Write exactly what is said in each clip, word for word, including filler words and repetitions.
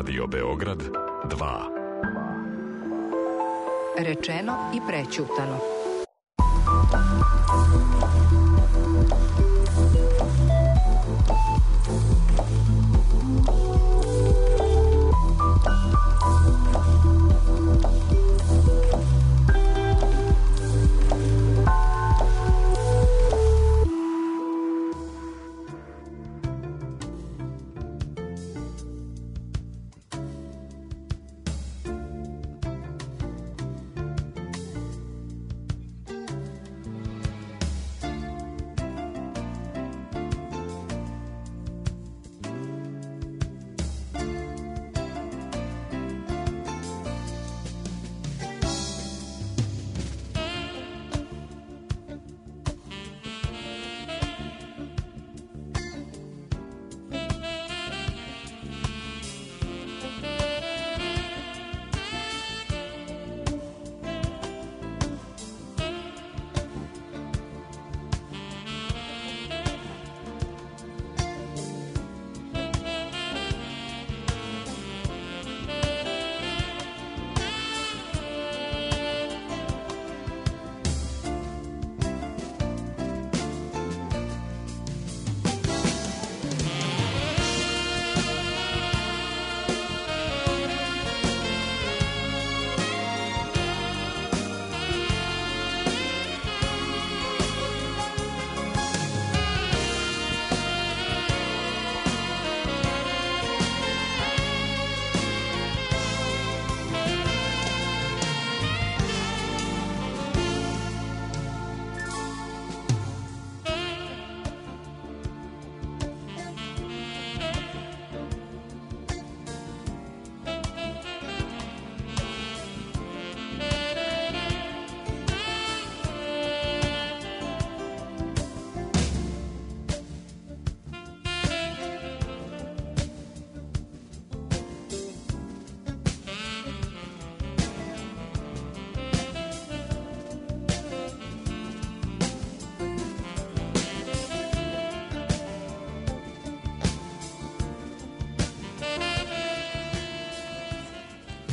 Radio Beograd dva. Rečeno i prećutano.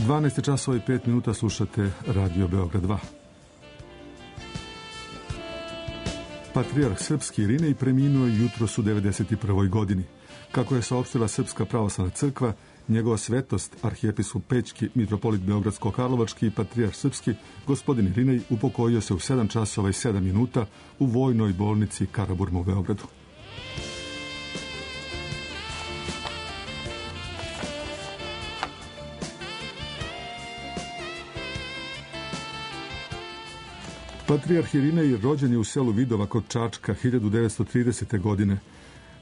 dvanaest časova i pet minuta, slušate Radio Beograd dva. Patrijarh srpski Irinej preminuo je jutros u devedeset prvoj godini. Kako je saopštila Srpska pravoslavna crkva, njegova svetost, arhijepiskop Pećki, mitropolit Beogradsko-Karlovački i patrijarh srpski, gospodin Irinej, upokojio se u sedam časova i sedam minuta u vojnoj bolnici Karaburma u Beogradu. Patrijarh Irinej rođen je u selu Vidova kod Čačka hiljadu devetsto tridesete. godine.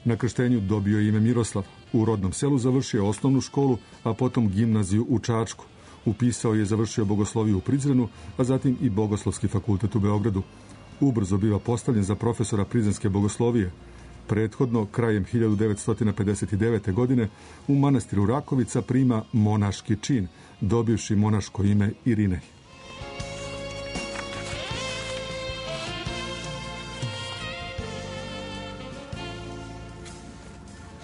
Na krštenju dobio ime Miroslav. U rodnom selu završio osnovnu školu, a potom gimnaziju u Čačku. Upisao je i završio bogosloviju u Prizrenu, a zatim i Bogoslovski fakultet u Beogradu. Ubrzo biva postavljen za profesora prizrenske bogoslovije. Prethodno, krajem hiljadu devetsto pedeset devete. godine, u manastiru Rakovica prima monaški čin, dobivši monaško ime Irinej.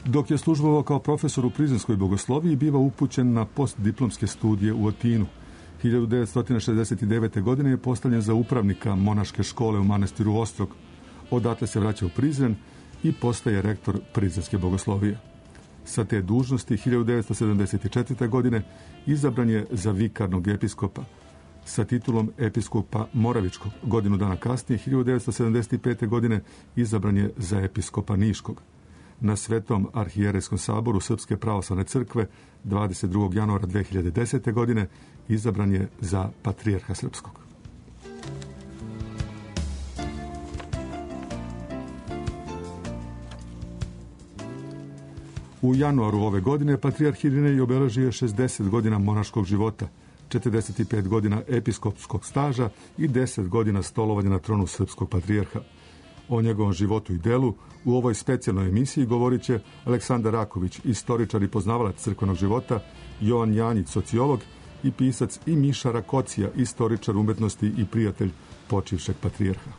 Dok je službovao kao profesor u prizrenskoj bogosloviji, biva upućen na postdiplomske studije u Atinu. hiljadu devetsto šezdeset devete. godine je postavljen za upravnika monaške škole u manastiru Ostrog. Odatle se vraća u Prizren i postaje rektor prizrenske bogoslovije. Sa te dužnosti hiljadu devetsto sedamdeset četvrte. godine izabran je za vikarnog episkopa sa titulom episkopa Moravičkog. Godinu dana kasnije, hiljadu devetsto sedamdeset pete. godine, izabran je za episkopa Niškog. Na Svetom arhijerejskom saboru Srpske pravoslavne crkve dvadeset drugog januara dve hiljade desete. godine izabran je za patrijarha srpskog. U januaru ove godine patrijarh Irinej obeležio šezdeset godina monaškog života, četrdeset pet godina episkopskog staža i deset godina stolovanja na tronu srpskog patrijarha. O njegovom životu i delu u ovoj specijalnoj emisiji govorit će Aleksandar Raković, istoričar i poznavalac crkvenog života, Jovan Janjić, sociolog i pisac, i Miša Rakocija, istoričar umetnosti i prijatelj počivšeg patrijarha.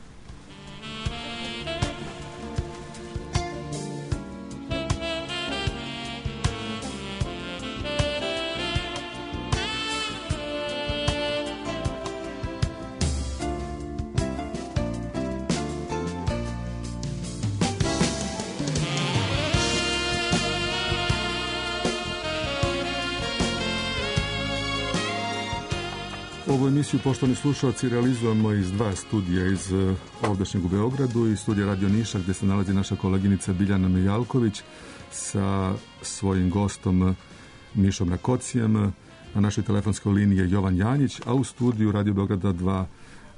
Ovu emisiju, poštovani slušalci, realizujemo iz dva studija, iz ovdašnjeg u Beogradu i studija Radio Niša, gdje se nalazi naša koleginica Biljana Mijalković sa svojim gostom Mišom Rakocijem. Na našoj telefonskoj liniji je Jovan Janjić, a u studiju Radio Beograda dva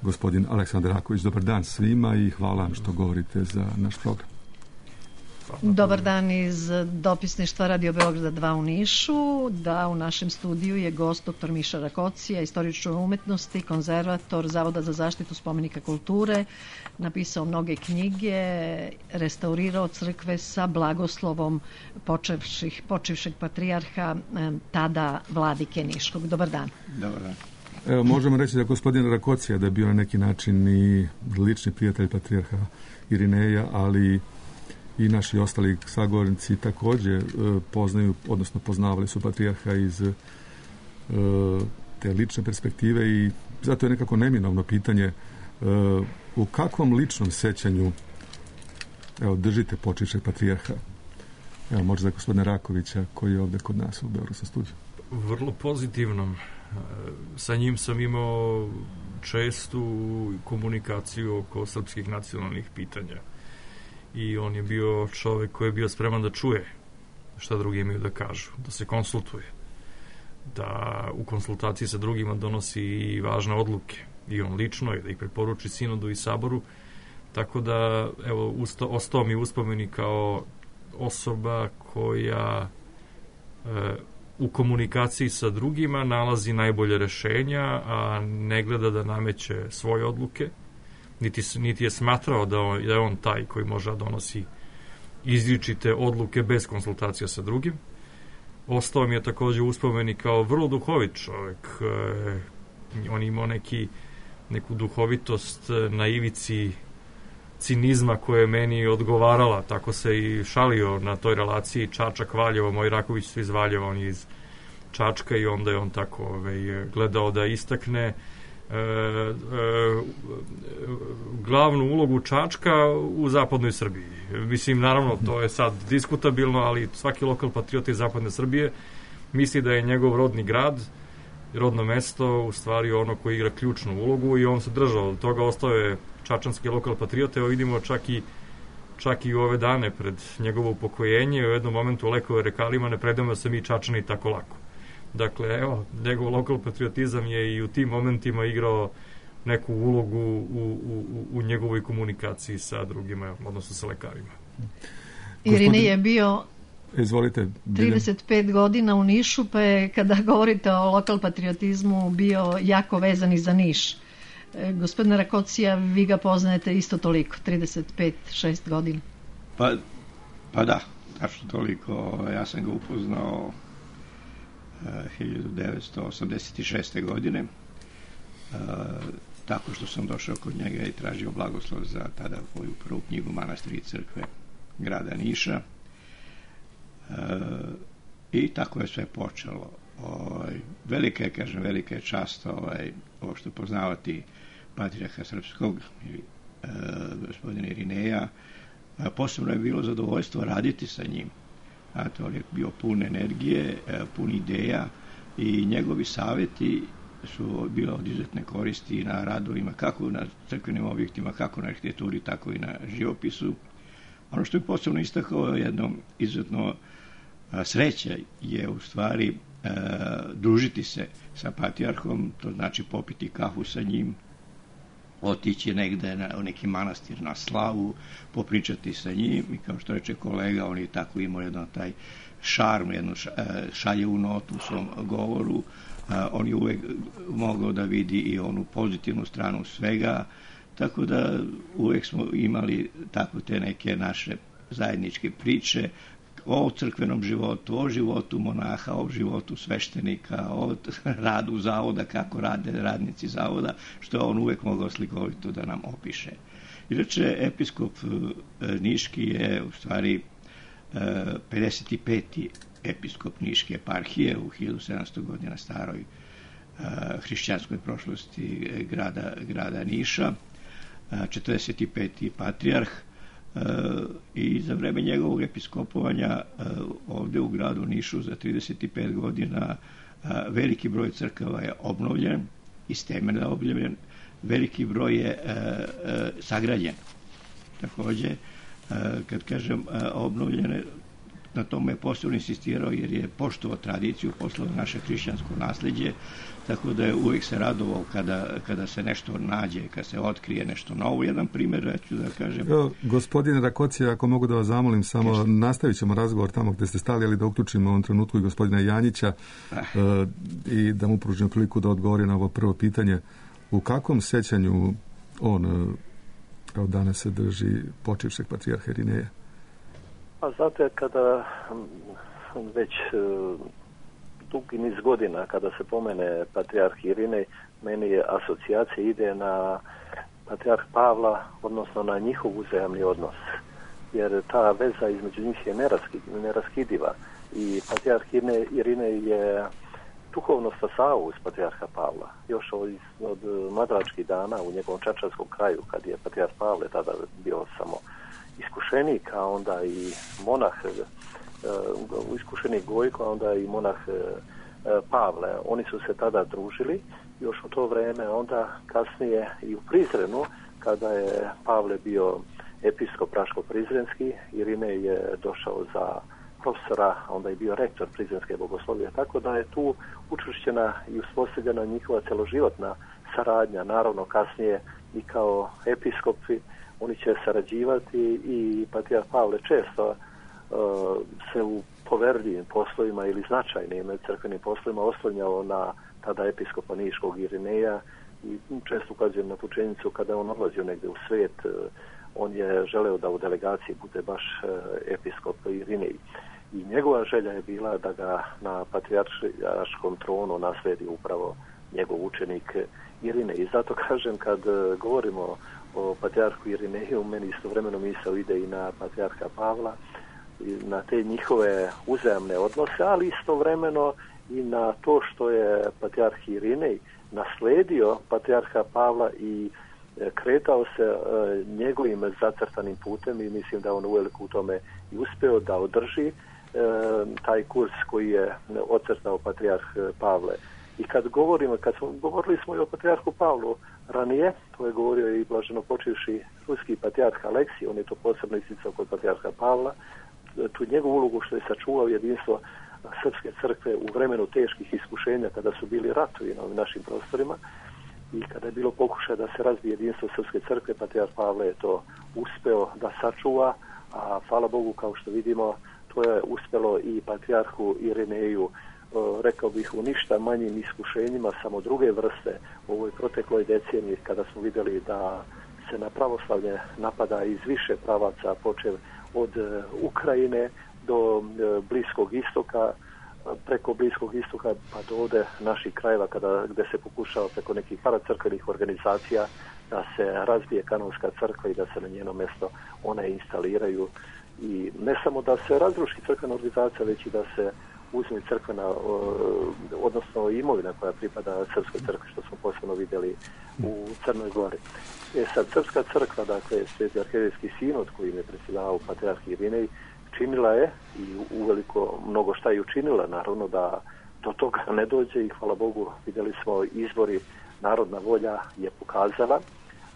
gospodin Aleksandar Raković. Dobar dan svima i hvala vam što govorite za naš program. Dobar dan iz dopisništva Radio Beograda dva u Nišu. Da, u našem studiju je gost doktor Miša Rakocija, istoričar umetnosti, konzervator Zavoda za zaštitu spomenika kulture, napisao mnoge knjige, restaurirao crkve sa blagoslovom počevših, počevšeg patrijarha, tada vladike Niškog. Dobar dan. Dobar dan. Evo, možemo reći da gospodin Rakocija da je bio na neki način i lični prijatelj patrijarha Irineja, ali i naši ostali sagovornici također e, poznaju, odnosno poznavali su patrijarha iz e, te lične perspektive i zato je nekako neminovno pitanje e, u kakvom ličnom sećanju evo, držite počivšeg patrijarha? Evo, možda gospodina Rakovića koji je ovdje kod nas u Beogradskom studiju. Vrlo pozitivnom. Sa njim sam imao čestu komunikaciju oko srpskih nacionalnih pitanja. I on je bio čovjek koji je bio spreman da čuje šta drugi imaju da kažu, da se konsultuje, da u konsultaciji sa drugima donosi i važne odluke, i on lično, i da ih preporuči sinodu i saboru, tako da, evo, usto, ostao mi uspomeni kao osoba koja e, u komunikaciji sa drugima nalazi najbolje rešenja, a ne gleda da nameće svoje odluke, Niti, niti je smatrao da, on, da je on taj koji može da donosi izričite odluke bez konsultacija sa drugim. Ostao mi je također uspomeni kao vrlo duhovit čovjek. E, on imao neki, neku duhovitost na ivici cinizma koja je meni odgovarala. Tako se i šalio na toj relaciji Čačak-Valjevo. Moj Raković su iz Valjeva, on je iz Čačka i onda je on tako ovaj, gledao da istakne E, e, glavnu ulogu Čačka u zapadnoj Srbiji. Mislim, naravno, to je sad diskutabilno, ali svaki lokal patriota iz zapadne Srbije misli da je njegov rodni grad, rodno mesto, u stvari ono koji igra ključnu ulogu i on se držao od toga, ostao je čačanski lokal patriota. Evo vidimo čak i čak i u ove dane pred njegovo upokojenje, u jednom momentu u lekove rekalima ne predamo se mi Čačani tako lako. Dakle, evo, njegov lokal patriotizam je i u tim momentima igrao neku ulogu u, u, u njegovoj komunikaciji sa drugima, odnosno sa lekarima. Irine je bio Izvolite, trideset pet godina u Nišu, pa je, kada govorite o lokal patriotizmu, bio jako vezan i za Niš. E, gospodine Rakocija, vi ga poznajete isto toliko, trideset pet šest godina. Pa, pa da, tačno toliko. Ja sam ga upoznao hiljadu devetsto osamdeset šeste. godine e, tako što sam došao kod njega i tražio blagoslov za tada moju prvu knjigu Manastiri i crkve grada Niša e, i tako je sve počelo. Ovaj, velika je, kažem, velika je čast ovaj, uopšte poznavati patrijarha srpskog e, gospodina Irineja. E, posebno je bilo zadovoljstvo raditi sa njim. Znate, on je bio pun energije, pun ideja i njegovi savjeti su bile od izuzetne koristi na radovima, kako na crkvenim objektima, kako na arhitekturi, tako i na živopisu. Ono što je posebno istakao jednom izuzetno sreća je u stvari e, družiti se sa patrijarhom, to znači popiti kafu sa njim, otići negde na, u neki manastir na slavu, popričati sa njim i kao što reče kolega, on je tako imao jedan taj šarm, jednu šaljevu notu u svom govoru. On je uvek mogao da vidi i onu pozitivnu stranu svega, tako da uvek smo imali tako te neke naše zajedničke priče o crkvenom životu, o životu monaha, o životu sveštenika, o radu zavoda, kako rade radnici zavoda, što on uvek mogao slikovito da nam opiše. Inače, episkop Niški je u stvari pedeset peti episkop Niške eparhije u hiljadu sedamsto godina staroj hrišćanskoj prošlosti grada, grada Niša, četrdeset peti patrijarh, i za vreme njegovog episkopovanja ovdje u gradu Nišu za trideset pet godina veliki broj crkava je obnovljen, iz temelja obnovljen, veliki broj je e, e, sagrađen. Takođe, e, kad kažem e, obnovljene, na tome je posebno insistirao jer je poštovao tradiciju, poštovao naše hrišćansko nasleđe, tako da je uvijek se radovao kada, kada se nešto nađe, kada se otkrije nešto novo. Jedan primjer, ja ću da kažem... Evo, gospodine Rakocija, ako mogu da vas zamolim, samo Kešte. Nastavit ćemo razgovor tamo gdje ste stali, ali da uključimo u ovom trenutku i gospodina Janjića ah. uh, i da mu pružimo priliku da odgovori na ovo prvo pitanje. U kakvom sećanju on uh, kao danas se drži počivšeg patrijarha Irineja? Pa znate, kada već uh, dugi niz godina kada se pomene patrijarh Irinej, meni je asocijacija ide na patrijarh Pavla, odnosno na njihov uzajamni odnos. Jer ta veza između njih je neraskidiva. I patrijarh Irinej je duhovno stasao uz patrijarha Pavla. Još od, od mladračkih dana u njegovom čačanskom kraju, kad je patrijarh Pavle tada bio samo iskušenik, a onda i monah, uh, iskušenik Gojko, a onda i monah uh, Pavle. Oni su se tada družili još u to vrijeme, onda kasnije i u Prizrenu, kada je Pavle bio episkop Praško-Prizrenski, Irinej je došao za profesora, onda je bio rektor Prizrenske bogoslovije, tako da je tu učvršćena i uspostavljena njihova celoživotna saradnja. Naravno, kasnije i kao episkopi oni će sarađivati i patrijarh Pavle često uh, se u poverljivim poslovima ili značajnim crkvenim poslovima oslanjao na tada episkopa Niškog Irineja i često ukazujem na tu činjenicu kada on odlazio negdje u svijet, uh, on je želeo da u delegaciji bude baš uh, episkop Irinej. I njegova želja je bila da ga na patrijarškom tronu nasledi upravo njegov učenik Irinej. I zato kažem, kad uh, govorimo o patrijarhu Irineju, meni istovremeno misao ide i na patrijarha Pavla, i na te njihove uzajamne odnose, ali istovremeno i na to što je patrijarh Irinej nasledio patrijarha Pavla i kretao se e, njegovim zacrtanim putem i mislim da on uveliko u tome i uspeo da održi e, taj kurs koji je ocrtao patrijarh Pavle. I kad govorimo, kad smo, govorili smo i o patrijarhu Pavlu ranije, to je govorio i blaženo počivši ruski patrijarh Aleksij, on je to posebno isticao kod patrijarha Pavla, tu njegovu ulogu što je sačuvao jedinstvo srpske crkve u vremenu teških iskušenja kada su bili ratovi na ovim našim prostorima i kada je bilo pokušaj da se razbije jedinstvo srpske crkve, patrijarh Pavle je to uspeo da sačuva, a hvala Bogu, kao što vidimo, to je uspelo i patrijarhu Irineju, rekao bih, u ništa manjim iskušenjima, samo druge vrste u ovoj protekloj deceniji, kada smo vidjeli da se na pravoslavlje napada iz više pravaca, počev od Ukrajine do Bliskog istoka, preko Bliskog istoka pa do ovde naših krajeva, kada, gde se pokušava preko nekih paracrkvenih organizacija da se razbije kanonska crkva i da se na njeno mjesto one instaliraju. I ne samo da se razruši crkvena organizacija, već i da se uzme crkvena, odnosno imovina koja pripada srpskoj crkvi, što smo posebno vidjeli u Crnoj Gori. E sad, srpska crkva, dakle, Sveti arhierejski sinod kojim je predsjedavao patrijarh Irinej, činila je i uveliko mnogo šta je učinila, naravno da do toga ne dođe i hvala Bogu vidjeli smo izbori, narodna volja je pokazala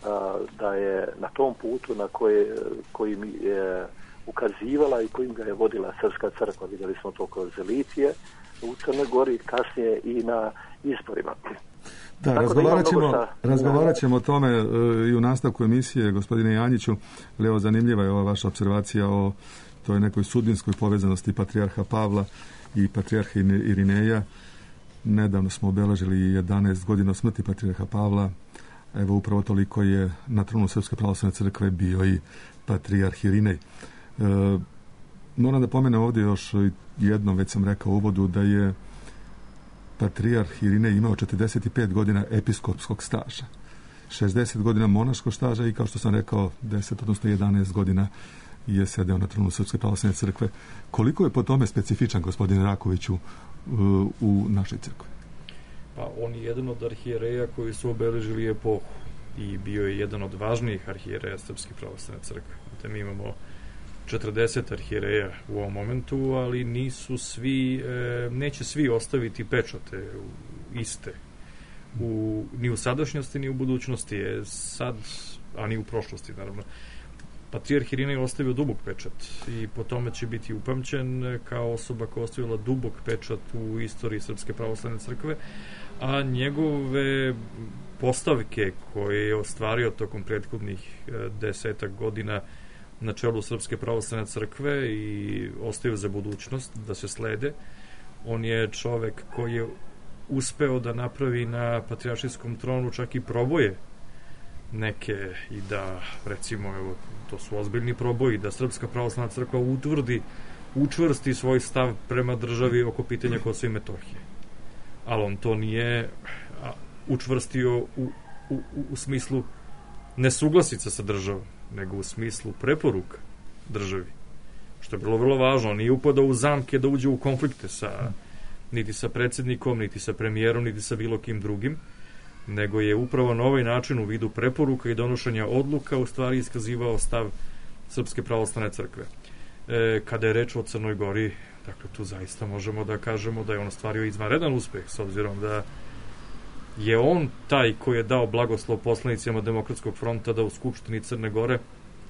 a, da je na tom putu na koje, kojim je ukazivala i kojim ga je vodila srpska crkva, vidjeli smo to kroz Litije u Crnoj Gori, kasnije i na izborima. Da, razgovarat ćemo, šta... razgovarat ćemo o tome e, i u nastavku emisije, gospodine Janjiću. Evo, zanimljiva je ova vaša observacija o toj nekoj sudbinskoj povezanosti patrijarha Pavla i patrijarha Irineja. Nedavno smo obeležili jedanaest godina smrti patrijarha Pavla. Evo, upravo toliko je na tronu Srpske pravoslavne crkve bio i patrijarh Irinej. E, moram da pomenem ovdje još jednom, već sam rekao u uvodu, da je patrijarh Irinej imao četrdeset pet godina episkopskog staža, šezdeset godina monaškog staža i, kao što sam rekao, deset, odnosno jedanaest godina je sedeo na tronu Srpske pravoslavne crkve. Koliko je po tome specifičan, gospodine Rakoviću, u našoj crkvi? Pa on je jedan od arhijereja koji su obeležili epohu i bio je jedan od važnijih arhijereja Srpske pravoslavne crkve. Te mi imamo četrdeset arhijereja u ovom momentu, ali nisu svi, e, neće svi ostaviti pečate iste u, ni u sadašnjosti, ni u budućnosti je sad, a ni u prošlosti, naravno. Patrijarh Irinej je ostavio dubok pečat i po tome će biti upamćen kao osoba koja je ostavila dubok pečat u istoriji Srpske pravoslavne crkve, a njegove postavke koje je ostvario tokom prethodnih desetak godina na čelu Srpske pravoslavne crkve i ostaju za budućnost da se slede. On je čovek koji je uspeo da napravi na patrijaršijskom tronu čak i proboje neke i da, recimo, evo, to su ozbiljni proboji, da Srpska pravoslavna crkva utvrdi, učvrsti svoj stav prema državi oko pitanja Kosova i Metohije. Ali on to nije učvrstio u, u, u smislu nesuglasica sa državom, nego u smislu preporuka državi, što je bilo vrlo važno. Nije upadao u zamke da uđe u konflikte sa, niti sa predsjednikom, niti sa premijerom, niti sa bilo kim drugim, nego je upravo na ovaj način u vidu preporuka i donošenja odluka u stvari iskazivao stav Srpske pravoslavne crkve. E, kada je reč o Crnoj Gori, dakle, tu zaista možemo da kažemo da je on ostvario izvanredan uspeh, s obzirom da je on taj koji je dao blagoslov poslanicima Demokratskog fronta da u Skupštini Crne Gore,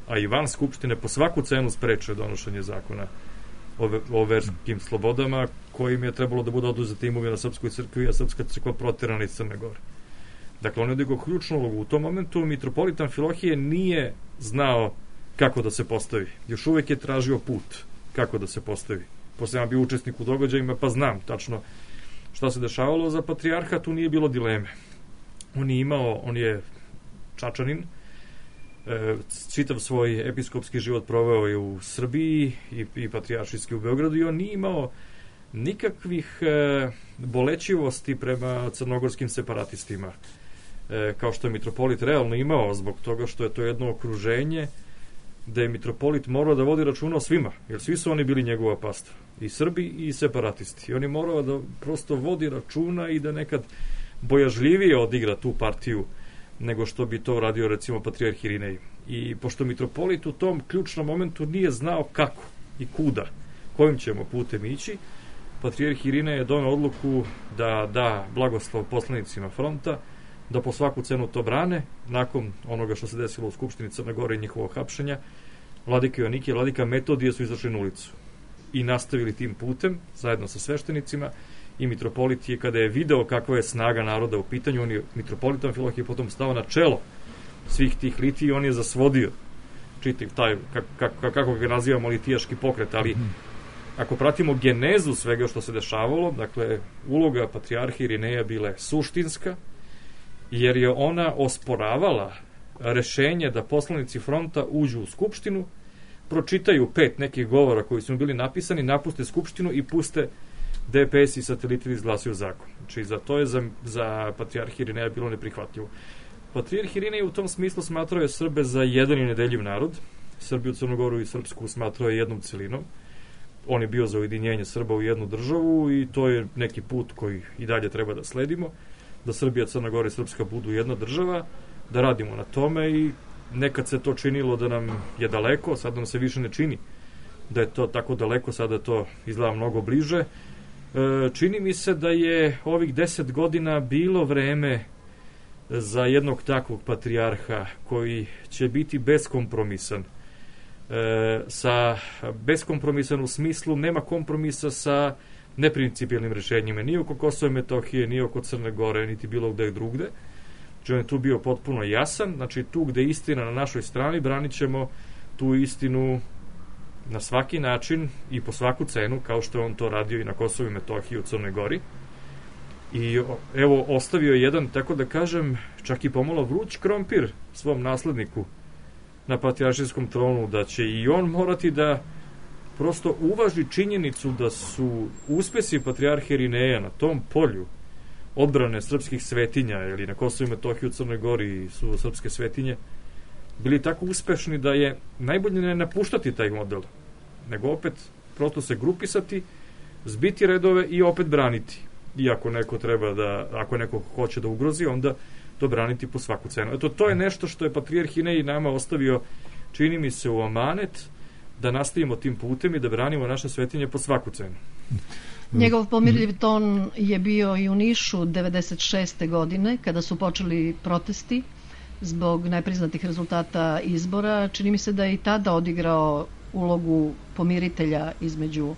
a i van Skupštine, po svaku cenu spreče donošenje zakona o, o verskim slobodama, kojim je trebalo da bude oduzeta imovina Srpskoj crkvi, a Srpska crkva proterana iz Crne Gore. Dakle, on je odigrao ključnu ulogu. U tom momentu mitropolit Amfilohije nije znao kako da se postavi. Još uvek je tražio put kako da se postavi. Posle sam bio učesnik u događajima, pa znam tačno šta se dešavalo. Za patrijarha tu nije bilo dileme. On je imao, on je Čačanin, e, čitav svoj episkopski život proveo je u Srbiji i, i patrijaršijski u Beogradu i on nije imao nikakvih e, bolećivosti prema crnogorskim separatistima, e, kao što je mitropolit realno imao, zbog toga što je to jedno okruženje da je mitropolit morao da vodi računa o svima, jer svi su oni bili njegova pasta, i Srbi i separatisti. I on je morao da prosto vodi računa i da nekad bojažljivije odigra tu partiju nego što bi to radio recimo patrijarh Irinej. I pošto mitropolit u tom ključnom momentu nije znao kako i kuda, kojim ćemo putem ići, patrijarh Irinej je doneo odluku da da blagoslov poslanicima fronta, da po svaku cenu to brane. Nakon onoga što se desilo u Skupštini Crne Gore i njihovog hapšenja, vladika Joannikije i vladika Metodije su izašli na ulicu i nastavili tim putem zajedno sa sveštenicima. I mitropolit je, kada je video kakva je snaga naroda u pitanju, on je, mitropolit Amfilohije, potom stao na čelo svih tih litija i on je zasvodio čitav taj, kako, kako ga nazivamo, litijaški pokret. Ali ako pratimo genezu svega što se dešavalo, dakle, uloga patrijarha Irineja bila je suštinska, jer je ona osporavala rešenje da poslanici fronta uđu u Skupštinu, pročitaju pet nekih govora koji su bili napisani, napuste Skupštinu i puste D P S i sateliti izglasaju zakon. Znači, za to je za, za patrijarh Irineja bilo neprihvatljivo. Patrijarh Irinej u tom smislu smatrao je Srbe za jedan i nedeljiv narod. Srbiju, Crnogoru i Srpsku smatrao je jednom celinom. On je bio za ujedinjenje Srba u jednu državu i to je neki put koji i dalje treba da sledimo, da Srbija, Crna Gora i Srpska budu jedna država, da radimo na tome. I nekad se to činilo da nam je daleko, sad nam se više ne čini da je to tako daleko, sada to izgleda mnogo bliže. E, čini mi se da je ovih deset godina bilo vreme za jednog takvog patrijarha koji će biti beskompromisan. E, sa beskompromisan u smislu nema kompromisa sa neprincipijalnim rešenjima, ni oko Kosova i Metohije, ni oko Crne Gore, niti bilo gde drugde. Znači, on je tu bio potpuno jasan. Znači, tu gde je istina na našoj strani, branit ćemo tu istinu na svaki način i po svaku cenu, kao što je on to radio i na Kosovu i Metohiji u Crnoj Gori. I evo, ostavio je jedan, tako da kažem, čak i pomalo vruć krompir svom nasledniku na patrijaršijskom tronu, da će i on morati da prosto uvaži činjenicu da su uspesi patrijarha Irineja na tom polju odbrane srpskih svetinja, ili na Kosovu i Metohiji u Crnoj Gori su srpske svetinje, bili tako uspešni da je najbolje ne napuštati taj model, nego opet prosto se grupisati, zbiti redove i opet braniti. I ako neko treba da, ako neko hoće da ugrozi, onda to braniti po svaku cenu. Eto, to je nešto što je patrijarh Irinej nama ostavio, čini mi se, u amanet, da nastavimo tim putem i da branimo naše svetinje po svaku cenu. Njegov pomirljiv ton je bio i u Nišu devedeset šeste godine kada su počeli protesti zbog nepriznatih rezultata izbora. Čini mi se da je i tada odigrao ulogu pomiritelja između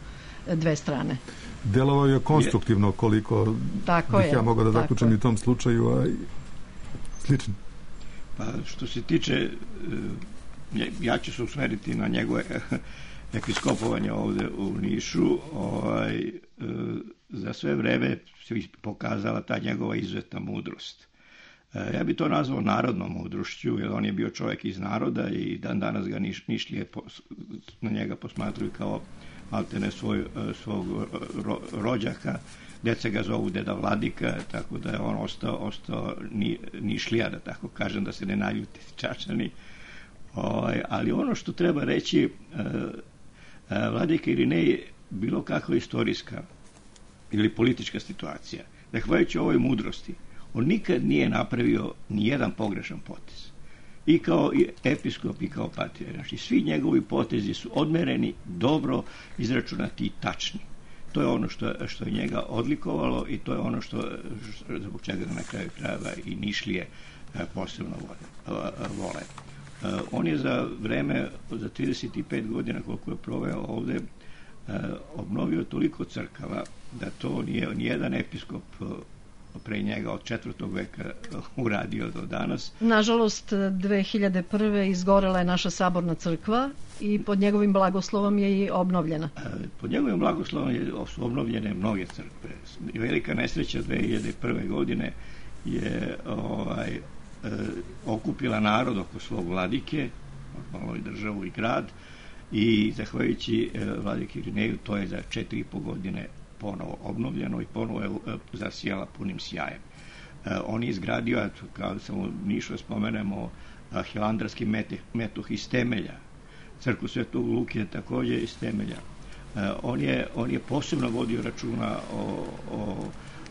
dve strane. Delovao je konstruktivno, koliko tako bih je, ja mogao da zaključim i u tom slučaju, a i slično. Pa što se tiče, ja ću se usmeriti na njegove episkopovanje ovde u Nišu, ovaj, za sve vreme se pokazala ta njegova izuzetna mudrost. Ja bi to nazvao narodnom mudrošću, jer on je bio čovjek iz naroda i dan danas ga niš, Nišlije na njega posmatruju kao maltene svoj, svog ro, rođaka. Deca ga zovu deda Vladika, tako da je on ostao, ostao ni, Nišlija, da tako kažem, da se ne naljuti Čačani. Ovaj, ali ono što treba reći, Vladika Irinej, bilo kakva istorijska ili politička situacija, zahvaljujući ovoj mudrosti, on nikad nije napravio ni jedan pogrešan potez. I kao episkop i kao patrijarh. Znači, svi njegovi potezi su odmereni, dobro izračunati i tačni. To je ono što, što je njega odlikovalo i to je ono što, zbog čega na kraju krajeva i Nišlije posebno vole. On je za vreme, za trideset pet godina koliko je proveo ovde, obnovio toliko crkava da to nije nijedan episkop pre njega od četvrtog veka uradio do danas. Nažalost, dve hiljade prve izgorela je naša saborna crkva i pod njegovim blagoslovom je i obnovljena. Pod njegovim blagoslovom je, su obnovljene mnoge crkve. Velika nesreća dve hiljade prve godine je ovaj, e, okupila narod oko svog vladike, normalno i državu i grad, i zahvaljujući e, vladike Irineju to je za četiri i po godine ponovo obnovljeno i ponovo je zasijala punim sjajem. E, on je izgradio, kao da sam u Nišu spomenemo, hilandarski metoh iz temelja. Crkvu Svetog Luke takođe iz temelja. E, on, je, on je posebno vodio računa o, o,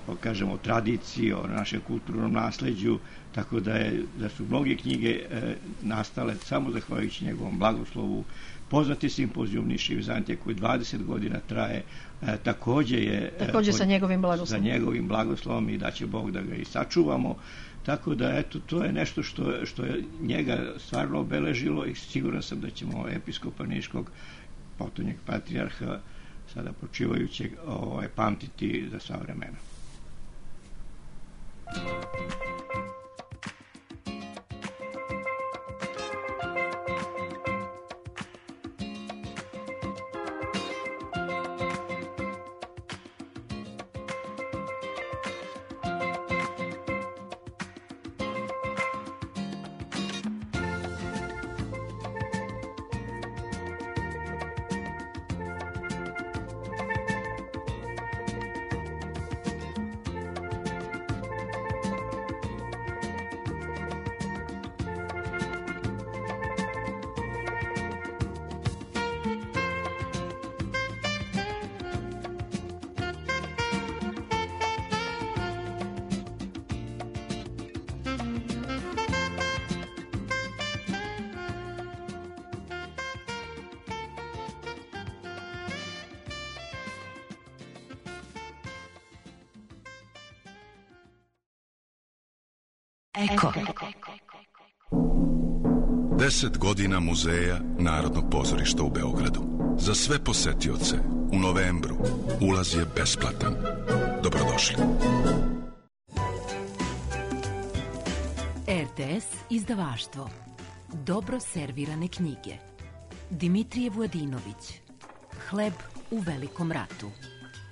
o, kažemo, tradiciji, o našem kulturnom nasleđu, tako da, je, da su mnoge knjige e, nastale samo zahvaljujući njegovom blagoslovu. Poznati simpozijum Niša i Vizantije koji dvadeset godina traje, e, takođe je takođe sa njegovim blagoslovom. Sa njegovim blagoslovom i da će Bog da ga i sačuvamo. Tako da, eto, to je nešto što, što je njega stvarno obeležilo i siguran sam da ćemo episkopa Niškog, potonjeg patrijarha, sada počivajućeg, ovaj, pamtiti za sva vremena. Eko. Deset godina muzeja Narodnog pozorišta u Beogradu. Za sve posetioce u novembru ulaz je besplatan. Dobrodošli. R T S izdavaštvo. Dobro servirane knjige. Dimitrije Vujadinović. Hleb u velikom ratu.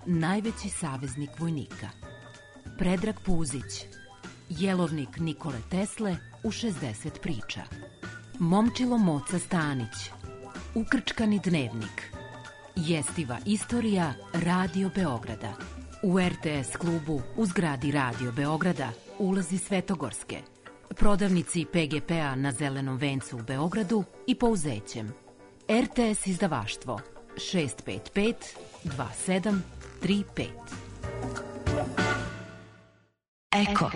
Najveći saveznik vojnika. Predrag Puzić. Jelovnik Nikole Tesle u šezdeset priča. Momčilo Moca Stanić. Ukrčkani dnevnik. Jestiva istorija Radio Beograda. U R T S klubu u zgradi Radio Beograda ulazi Svetogorske. Prodavnici P G P-a na Zelenom vencu u Beogradu i Pouzećem. R T S izdavaštvo šest pet pet dva sedam tri pet. Eko.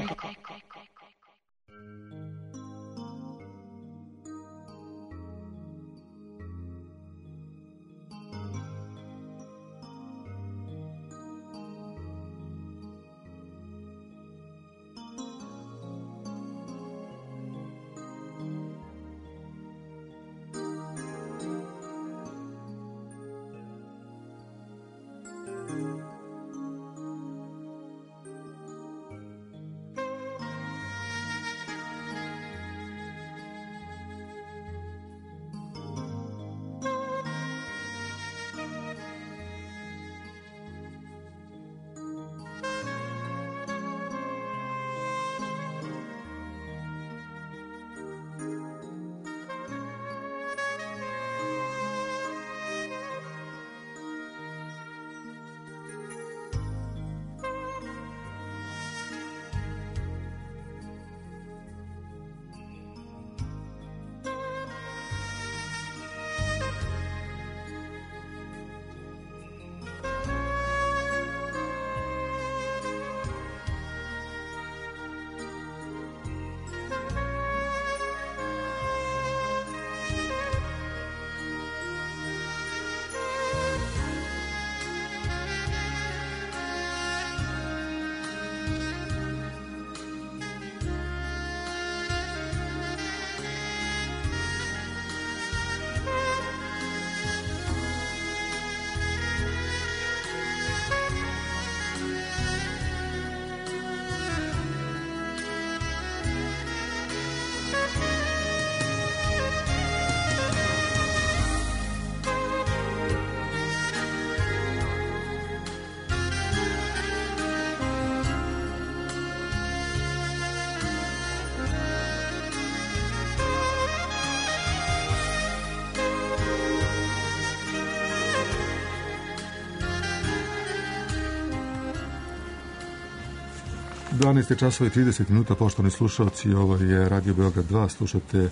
dvanaest časova i trideset minuta, poštovani slušalci, ovo je Radio Beograd dva, slušate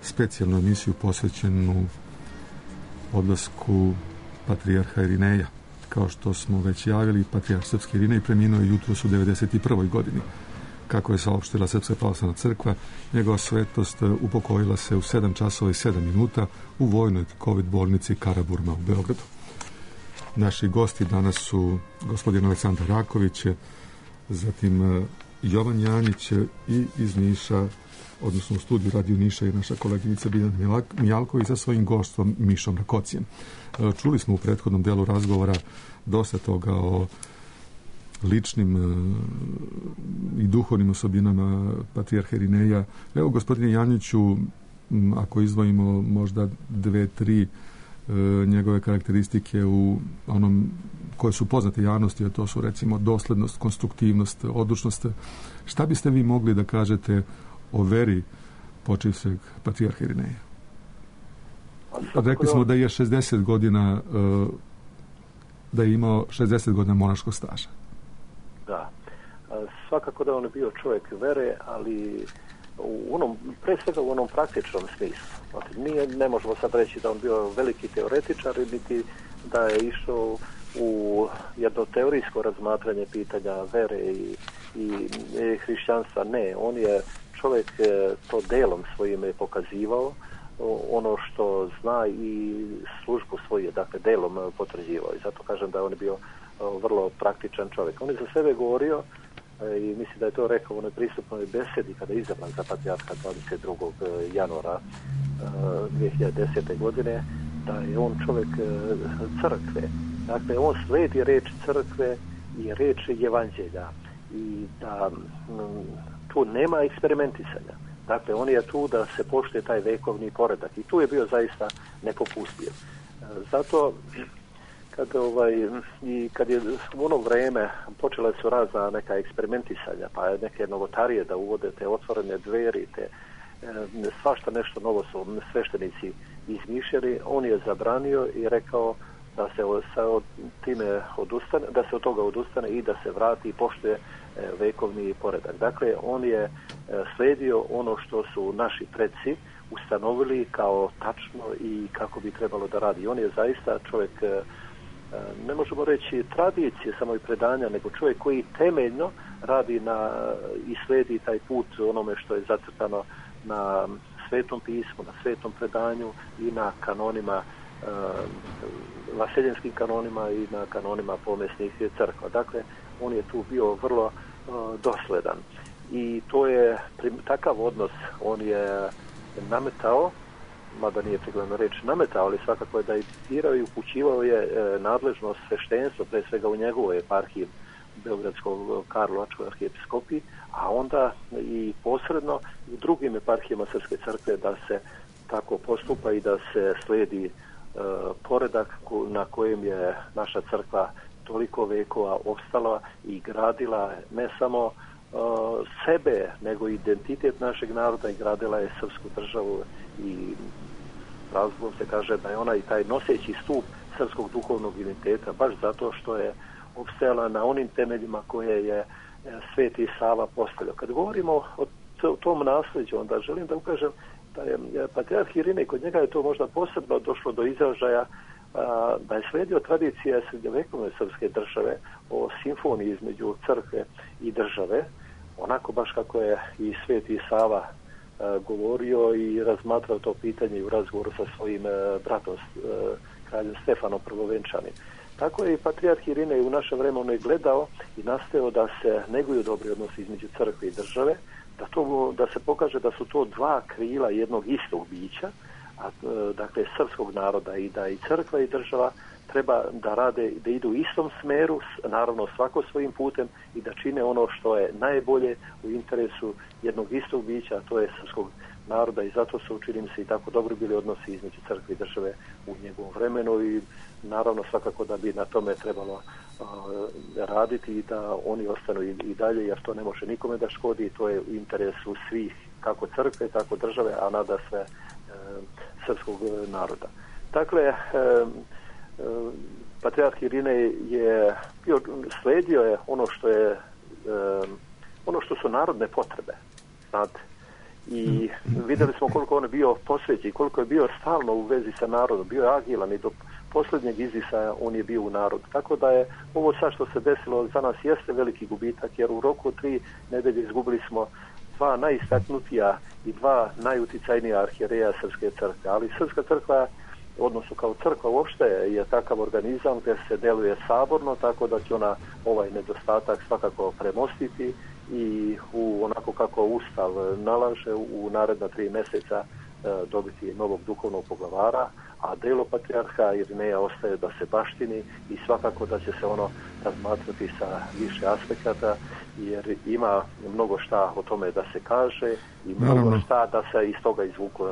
specijalnu emisiju posvećenu odlasku patrijarha Irineja. Kao što smo već javili, patrijarh srpski Irinej preminuo je jutros u devedeset prvoj godini. Kako je saopštila Srpska pravoslavna crkva, njegova svetost upokojila se u sedam časova i sedam minuta u vojnoj COVID bolnici Karaburma u Beogradu. Naši gosti danas su gospodin Aleksandar Raković, zatim Jovan Janjić i iz Niša, odnosno u studiju Radio Niša, je naša koleginica Biljana Mijalković sa svojim goštom Mišom Rakocijem. Čuli smo u prethodnom delu razgovora dosta toga o ličnim i duhovnim osobinama patrijarha Irineja. Evo, gospodine Janjiću, ako izdvojimo možda dve, tri njegove karakteristike u onom koje su poznate javnosti, a to su recimo doslednost, konstruktivnost, odlučnost. Šta biste vi mogli da kažete o veri počivšeg patrijarha Irineja? Rekli smo da je šezdeset godina, da je imao šezdeset godina monaškog staža. Da. Svakako da on je bio čovjek vere, ali u onom, pre svega u onom praktičnom smislu. Znači, nije, ne možemo sad reći da on bio veliki teoretičar, niti da je išao u jedno teorijsko razmatranje pitanja vere i, i, i hrišćanstva. Ne, on je čovjek to delom svojim je pokazivao, ono što zna i službu svoju, dakle, delom potvrđivao. I zato kažem da on je bio vrlo praktičan čovjek. On je za sebe govorio, i mislim da je to rekao u onoj pristupnoj besedi kada je izabran za patrijarha dvadeset drugog januara dvije hiljade desete. godine, da je on čovjek crkve. Dakle, on slijedi reč crkve i reč evanđelja i da tu nema eksperimentisanja. Dakle, on je tu da se poštuje taj vekovni poredak i tu je bio zaista nepopustljiv. Zato kad, ovaj, i kad je u ono vrijeme počela su razna neka eksperimentisanja, pa neke novotarije da uvode te otvorene dveri, te e, svašta nešto novo su sveštenici izmišljali, on je zabranio i rekao da se od time odustane, da se od toga odustane i da se vrati i poštuje vekovni poredak. Dakle, on je slijedio ono što su naši preci ustanovili kao tačno i kako bi trebalo da radi. On je zaista čovjek, ne možemo reći tradicije samo i predanja, nego čovjek koji temeljno radi na i slijedi taj put onome što je zacrtano na Svetom pismu, na Svetom predanju i na kanonima, vaseljenskim kanonima i na kanonima pomesnih crkva. Dakle, on je tu bio vrlo uh, dosledan. I to je takav odnos on je nametao, mada nije prikladno reći nametao, ali svakako je da je diktirao i upućivao je e, nadležnost sveštenstva, pre svega u njegovoj eparhiji Beogradskog Karlovačkoj arhijepiskopiji, a onda i posredno u drugim eparhijama Srpske crkve da se tako postupa i da se slijedi e, poredak na kojem je naša crkva toliko vekova opstala i gradila ne samo uh, sebe, nego identitet našeg naroda i gradila je srpsku državu i razlogom se kaže da je ona i taj noseći stup srpskog duhovnog identiteta, baš zato što je opstajala na onim temeljima koje je Sveti Sava postavljao. Kad govorimo o tom nasljeđu, onda želim da ukažem da je patrijarh Irinej, kod njega je to možda posebno došlo do izražaja, da je slijedio tradicija srednjovekovne srpske države o simfoniji između crkve i države, onako baš kako je i Sveti Sava govorio i razmatrao to pitanje i u razgovoru sa svojim bratom kraljem Stefanom Prvovenčanim. Tako je i patrijarh Irinej u našem vremenu gledao i nastojao da se neguju dobri odnosi između crkve i države, da, to, da se pokaže da su to dva krila jednog istog bića, a, dakle srpskog naroda, i da i crkva i država treba da rade, da idu u istom smeru, naravno svako svojim putem, i da čine ono što je najbolje u interesu jednog istog bića, a to je srpskog naroda, i zato su, činim se, i tako dobro bili odnosi između crkve i države u njegovom vremenu, i naravno svakako da bi na tome trebalo uh, raditi i da oni ostanu i, i dalje, jer to ne može nikome da škodi, to je u interesu svih, kako crkve, tako države, a nada sve uh, srpskog naroda. Dakle, uh, uh, patrijarh Irinej je bio, sledio je ono što je uh, ono što su narodne potrebe, znate. I vidjeli smo koliko on je bio posvećen, koliko je bio stalno u vezi sa narodom, bio je agilan i do posljednjeg izdisaja on je bio u narodu. Tako da je ovo sad što se desilo za nas jeste veliki gubitak, jer u roku tri nedelje izgubili smo dva najistaknutija i dva najuticajnija arhijereja Srpske crkve. Ali Srpska crkva, odnosno kao crkva uopšte, je takav organizam gdje se deluje saborno, tako da će ona ovaj nedostatak svakako premostiti i u onako kako Ustav nalaže u naredna tri mjeseca e, dobiti novog duhovnog poglavara, a delo patrijarha Irineja ostaje da se baštini i svakako da će se ono razmatrati sa više aspekata, jer ima mnogo šta o tome da se kaže i mnogo Naravno. šta da se iz toga izvuku,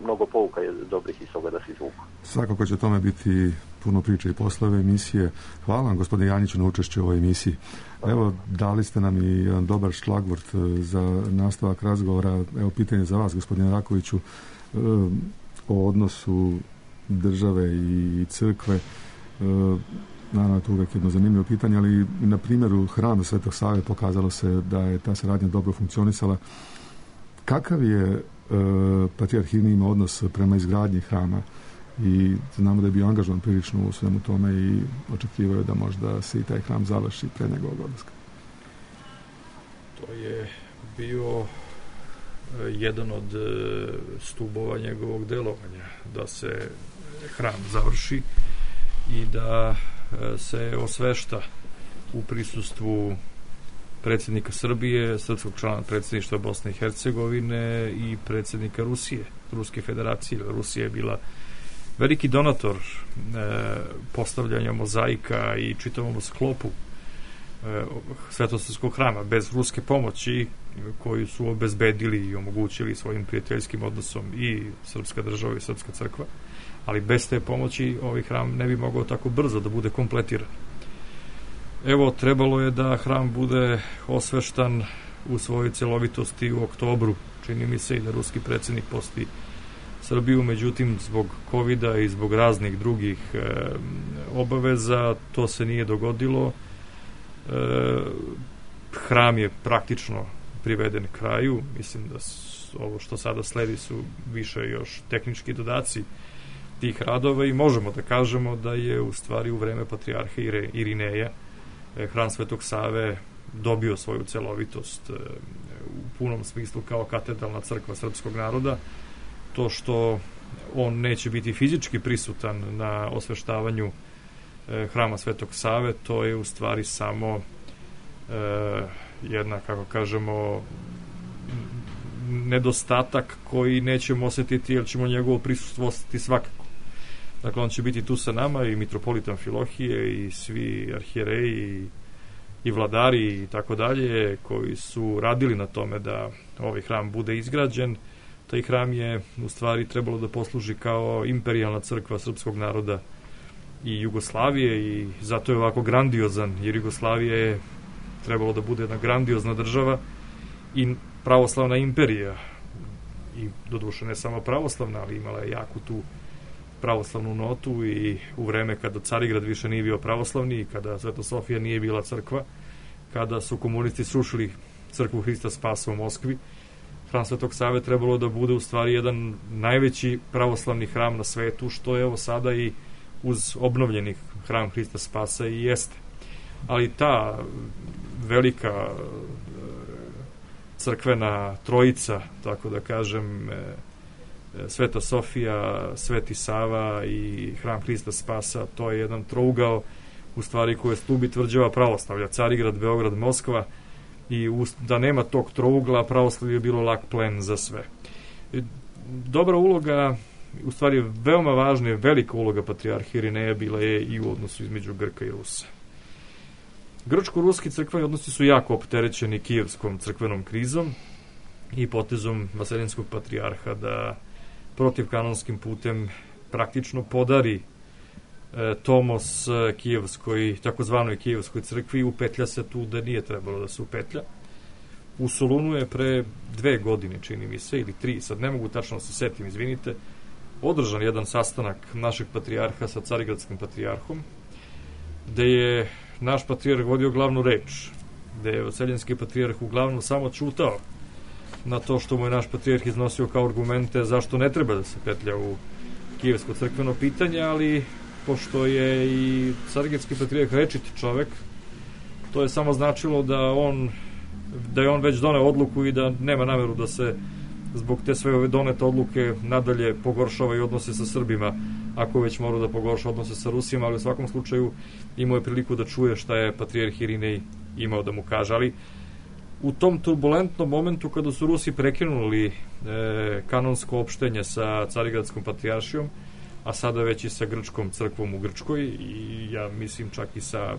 mnogo pouka je dobrih iz toga da se izvuku. Svakako će tome biti puno priče i poslove emisije. Hvala vam, gospodine Janjiću, na učešću u ovoj emisiji. Evo, dali ste nam i jedan dobar šlagvort za nastavak razgovora. Evo, pitanje za vas, gospodine Rakoviću, o odnosu države i crkve. Naravno, to je uvijek jedno zanimljivo pitanje, ali na primjeru hrama Svetog Save pokazalo se da je ta saradnja dobro funkcionisala. Kakav je e, patrijarh Irinej imao odnos prema izgradnji hrama? I znamo da je bio angažovan prilično u svemu tome i očekivao je da možda se i taj hram završi pre njegovog odlaska. To je bio jedan od stubova njegovog delovanja, da se hram završi i da se osvešta u prisustvu predsjednika Srbije, srpskog člana predsjedništva Bosne i Hercegovine i predsjednika Rusije, Ruske federacije. Rusija je bila veliki donator e, postavljanja mozaika i čitavom sklopu e, Svetosavskog hrama. Bez ruske pomoći koju su obezbedili i omogućili svojim prijateljskim odnosom i srpska država i srpska crkva, ali bez te pomoći ovaj hram ne bi mogao tako brzo da bude kompletiran. Evo, trebalo je da hram bude osveštan u svojoj celovitosti u oktobru, čini mi se, i da ruski predsjednik poseti Srbiju, međutim zbog kovida i zbog raznih drugih e, obaveza to se nije dogodilo. E, hram je praktično priveden kraju. Mislim da su, ovo što sada sledi su više još tehnički dodaci tih radova i možemo da kažemo da je u stvari u vreme patrijarha Irineja e, hram Svetog Save dobio svoju celovitost e, u punom smislu kao katedralna crkva srpskog naroda. To što on neće biti fizički prisutan na osveštavanju e, hrama Svetog Save, to je u stvari samo e, jedna, kako kažemo, nedostatak koji nećemo osjetiti, jer ćemo njegovo prisustvo osjetiti svakako. Dakle, on će biti tu sa nama, i mitropolit Amfilohije i svi arhijereji i, i vladari i tako dalje, koji su radili na tome da ovaj hram bude izgrađen. Taj hram je u stvari trebalo da posluži kao imperijalna crkva srpskog naroda i Jugoslavije, i zato je ovako grandiozan, jer Jugoslavija je trebalo da bude jedna grandiozna država i pravoslavna imperija, i doduše ne samo pravoslavna, ali imala je jaku tu pravoslavnu notu, i u vreme kada Carigrad više nije bio pravoslavni i kada Sveta Sofija nije bila crkva, kada su komunisti srušili crkvu Hrista Spasa u Moskvi, hram Svetog Save trebalo da bude u stvari jedan najveći pravoslavni hram na svetu, što je evo sada i uz obnovljeni hram Hrista Spasa i jeste. Ali ta velika crkvena trojica, tako da kažem, Sveta Sofija, Sveti Sava i hram Hrista Spasa, to je jedan trougao u stvari koji je stubi tvrđava pravoslavlja, Carigrad, Beograd, Moskva, i da nema tog trougla, pravoslavlje je bilo lak plen za sve. Dobra uloga, u stvari veoma važna je velika uloga patrijarha Irineja bila je i u odnosu između Grka i Rusa. Grčko-ruski crkveni odnosi su jako opterećeni kijevskom crkvenom krizom i potezom vaseljenskog patrijarha da protivkanonskim putem praktično podari e, tomos kijevskoj, takozvanoj kijevskoj crkvi, i upetlja se tu da nije trebalo da se upetlja. U Solunu je pre dve godine, čini mi se, ili tri, sad ne mogu tačno da se setim, izvinite, održan jedan sastanak našeg patrijarha sa carigradskim patrijarhom, gde je naš patrijarh vodio glavnu reč gde je Oseljenski patrijarh uglavnom samo čutao na to što mu je naš patrijarh iznosio kao argumente zašto ne treba da se petlja u kijevsko crkveno pitanje, ali pošto je i Carigradski patrijarh rečiti čovek, to je samo značilo da on da je on već doneo odluku i da nema nameru da se zbog te sve ove donete odluke nadalje pogoršava i odnose sa Srbima, ako već mora da pogorša odnose sa Rusijama, ali u svakom slučaju imao je priliku da čuje šta je patrijarh Irinej imao da mu kaže. Ali u tom turbulentnom momentu kada su Rusi prekinuli e, kanonsko opštenje sa Carigradskom patrijaršijom, a sada već i sa Grčkom crkvom u Grčkoj i ja mislim čak i sa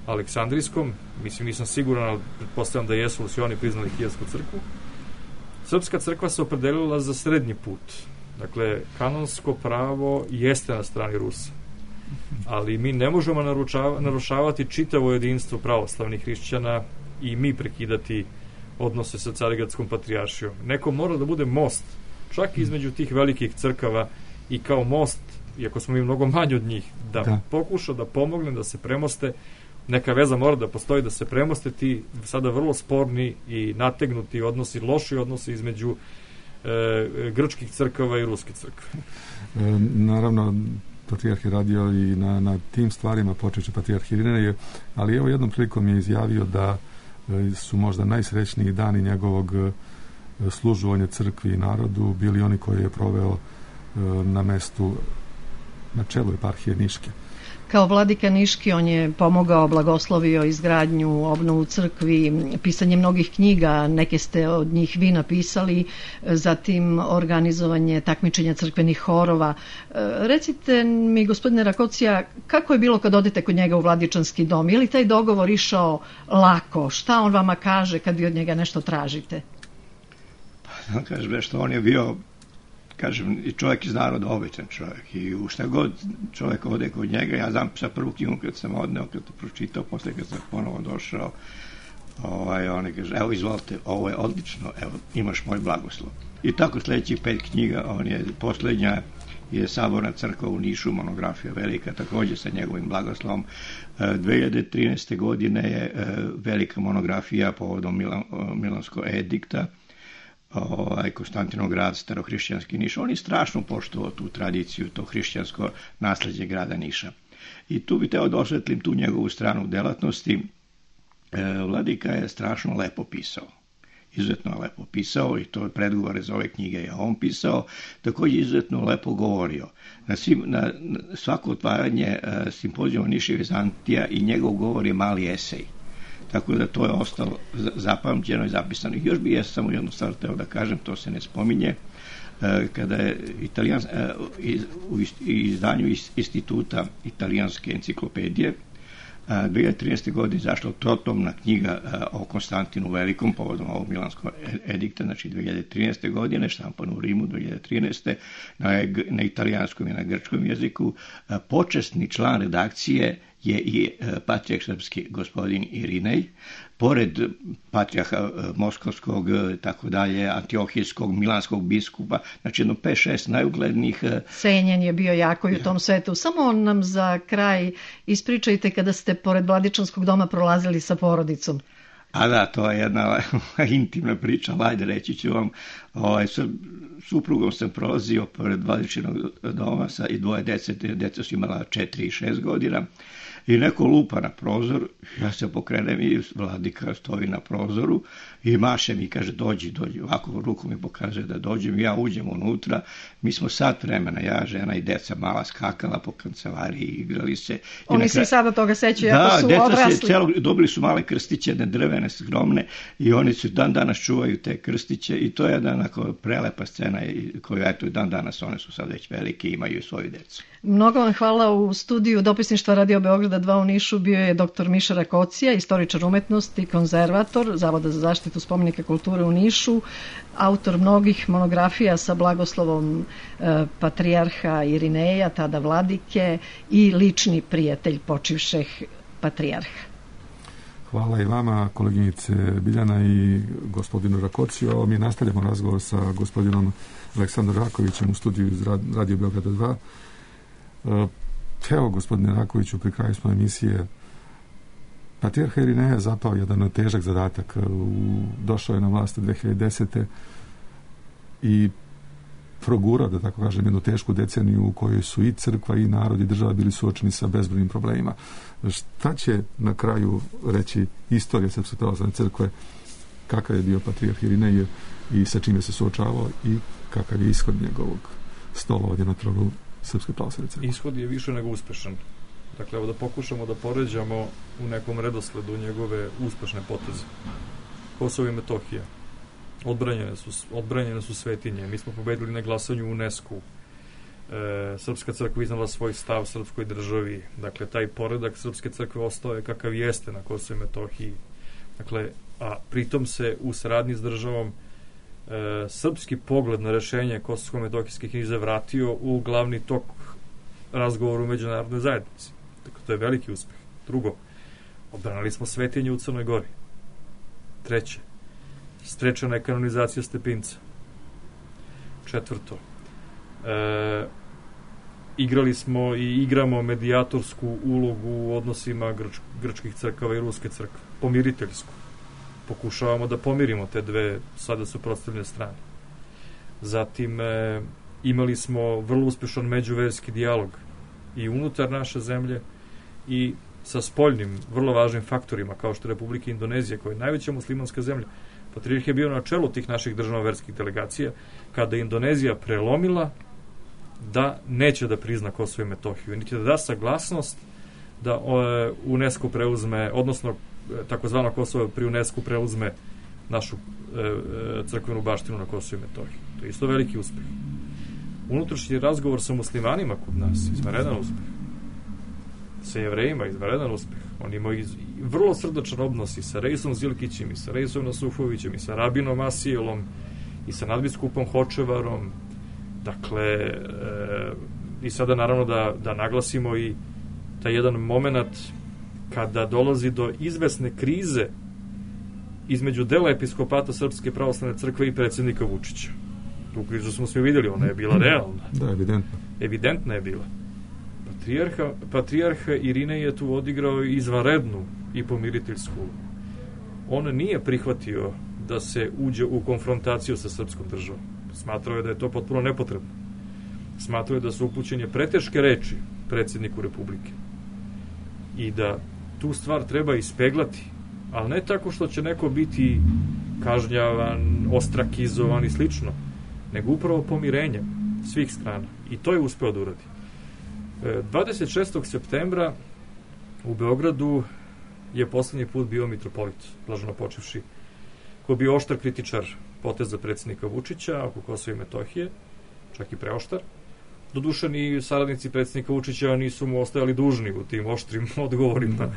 Aleksandrijskom, mislim nisam siguran, ali pretpostavljam da jesu, su oni priznali kijevsku crkvu, Srpska crkva se opredelila za srednji put. Dakle, kanonsko pravo jeste na strani Rusa, ali mi ne možemo narušavati čitavo jedinstvo pravoslavnih hrišćana i mi prekidati odnose sa Carigradskom patrijaršijom. Neko mora da bude most, čak između tih velikih crkava i kao most, iako smo mi mnogo manji od njih, da, da. pokuša da pomogne da se premoste, neka veza mora da postoji da se premoste ti sada vrlo sporni i nategnuti odnosi, loši odnosi između e, grčkih crkava i ruske crkve. E, naravno, patrijarh je radio i na, na tim stvarima, počeće patrijarh Irinej, ali evo jednom prilikom je izjavio da e, su možda najsrećniji dani njegovog e, služovanja crkvi i narodu bili oni koji je proveo e, na mestu na čelu eparhije Niške. Kao vladika Niški on je pomogao, blagoslovio izgradnju, obnovu crkvi, pisanje mnogih knjiga, neke ste od njih vi napisali, zatim organizovanje takmičenja crkvenih horova. Recite mi, gospodine Rakocija, kako je bilo kad odete kod njega u Vladičanski dom? Je li taj dogovor išao lako? Šta on vama kaže kad vi od njega nešto tražite? Pa, kažem, što on je bio, kažem, i čovjek iz naroda, običan čovjek, i u šta god čovjek ode kod njega, ja znam sa prvu knjigu kad sam odneo, kad to pročitao, posle kad sam ponovo došao, ovaj, on je kaže, evo izvolite, ovo je odlično, evo, imaš moj blagoslov. I tako sljedećih pet knjiga, on je, posljednja je Saborna crkva u Nišu, monografija velika, također sa njegovim blagoslovom. dve hiljade trinaeste. godine je velika monografija povodom Milan, Milanskog edikta, ovaj, Konstantinograd, starohrišćanski Niš. On je strašno poštovao tu tradiciju, to hrišćansko nasleđe grada Niša. I tu bi teo da osvetlim tu njegovu stranu delatnosti. E, Vladika je strašno lepo pisao. Izuzetno lepo pisao i to predgovore za ove knjige je on pisao. Također izuzetno lepo govorio. Na, svim, na, na svako otvaranje e, simpozijuma Niša i Vizantija i njegov govor je mali esej. Tako da to je ostalo zapamćeno i zapisano. Još bi ja samo jednu stvar teo da kažem, to se ne spominje, kada je Italijan, u izdanju instituta italijanske enciklopedije dve hiljade trinaeste. godine izašla trotomna knjiga o Konstantinu Velikom povodom ovog Milanskog edikta, znači dve hiljade trinaeste. godine, štampano u Rimu dve hiljade trinaeste. na, na italijanskom i na grčkom jeziku. Počasni član redakcije je i patrijarh srpski gospodin Irinej, pored patrijarha moskovskog, tako dalje, antiohijskog, milanskog biskupa, znači jedno pet šest najuglednijih. Cenjen je bio jako i u tom svetu. Samo nam za kraj ispričajte kada ste pored Vladičanskog doma prolazili sa porodicom. A da, to je jedna intimna priča, ajde reći ću vam. Ovaj, sa suprugom sam prolazio pored Vladičinog doma sa i dvoje dece, deca su imala četiri i šest godina. I neko lupa na prozor, ja se pokrenem i Vladika stoji na prozoru i maše mi, kaže, dođi, dođi, ovako ruku mi pokaže da dođem, ja uđem unutra, mi smo sat vremena, ja, žena i deca mala skakala po kancelariji, igrali se. Oni se i sada toga sećaju, ako su odrasli. Da, deca celo, dobili su male krstiće, jedne drvene, skromne, i oni su dan danas čuvaju te krstiće i to je jedna onako prelepa scena koju, eto, dan danas one su sad već velike i imaju svoju decu. Mnogo vam hvala. U studiju Dopisništva Radio Beograda dva u Nišu bio je doktor Miša Rakocija, istoričar umetnosti, konzervator Zavoda za zaštitu spomenika kulture u Nišu, autor mnogih monografija sa blagoslovom e, patrijarha Irineja, tada vladike, i lični prijatelj počivšeg patrijarha. Hvala i vama, koleginice Biljana i gospodinu Rakociju. Mi nastavljamo razgovor sa gospodinom Aleksandrom Rakovićem u studiju iz Radio Beograda dva. Evo, gospodine Rakoviću, pri kraju smo emisije. Patrijarh Irinej je zapao jedan težak zadatak. Došao je na vlast dve hiljade desete. i progurao, da tako kažem, jednu tešku deceniju u kojoj su i crkva i narod i država bili suočeni sa bezbrojnim problemima. Šta će na kraju reći istorija Srpske pravoslavne crkve, kakav je bio patrijarh Irinej i sa čime se suočavao i kakav je ishod njegovog stolovanja na tronu Srpske pravoslavne crkve? Ishod je više nego uspešan. Dakle, evo da pokušamo da poređamo u nekom redosledu njegove uspešne poteze. Kosovo i Metohija. Odbranjene su, odbranjene su svetinje. Mi smo pobedili na glasanju u UNESCO. E, Srpska crkva iznala svoj stav srpskoj državi. Dakle, taj poredak Srpske crkve ostao je kakav jeste na Kosovo i Metohiji. Dakle, a pritom se u saradnji s državom e, srpski pogled na rešenje kosovsko-metohijske krize vratio u glavni tok razgovora u međunarodnoj zajednici. Dakle, to je veliki uspeh. Drugo, odbranili smo svetinje u Crnoj Gori. Treće, sprečena je kanonizacija Stepinca. Četvrto, e, igrali smo i igramo medijatorsku ulogu u odnosima grč, grčkih crkava i ruske crkve. Pomiriteljsku. Pokušavamo da pomirimo te dve sada suprotstavljene strane. Zatim, e, imali smo vrlo uspešan međuverski dijalog i unutar naše zemlje i sa spoljnim, vrlo važnim faktorima, kao što je Republika Indonezija, koja je najveća muslimanska zemlja. Patrijarh je bio na čelu tih naših državno-verskih delegacija, kada je Indonezija prelomila da neće da prizna Kosovo i Metohiju, niti da da saglasnost da UNESCO preuzme, odnosno takozvano Kosovo pri UNESCO preuzme našu e, crkvenu baštinu na Kosovo i Metohiju. To je isto veliki uspeh. Unutrašnji razgovor sa muslimanima kod nas, izvanredan uspeh. Sa Jevrejima, izvanredan uspeh. Oni imaju iz, vrlo srdačan odnos i sa Reisom Zilkićem, i sa Reisom Nasufovićem, i sa Rabinom Asijelom, i sa nadbiskupom Hočevarom. Dakle, e, i sada naravno da, da naglasimo i taj jedan moment kada dolazi do izvesne krize između dela episkopata Srpske pravoslavne crkve i predsjednika Vučića. Tu krizu smo svi vidjeli, ona je bila realna. Da, evidentno. Evidentna je bila. Patrijarha, patrijarha Irinej je tu odigrao izvanrednu i pomiriteljsku. On nije prihvatio da se uđe u konfrontaciju sa srpskom državom. Smatrao je da je to potpuno nepotrebno. Smatrao je da su upućene preteške reči predsjedniku Republike. I da tu stvar treba ispeglati, ali ne tako što će neko biti kažnjavan, ostrakizovan i slično, nego upravo pomirenjem svih strana. I to je uspeo da uradi. dvadeset šestog septembra u Beogradu je poslednji put bio mitropolit, blaženo počevši, koji je bio oštar kritičar poteza predsjednika Vučića oko Kosova i Metohije, čak i preoštar. Doduše ni saradnici predsjednika Vučića nisu mu ostajali dužni u tim oštrim odgovorima,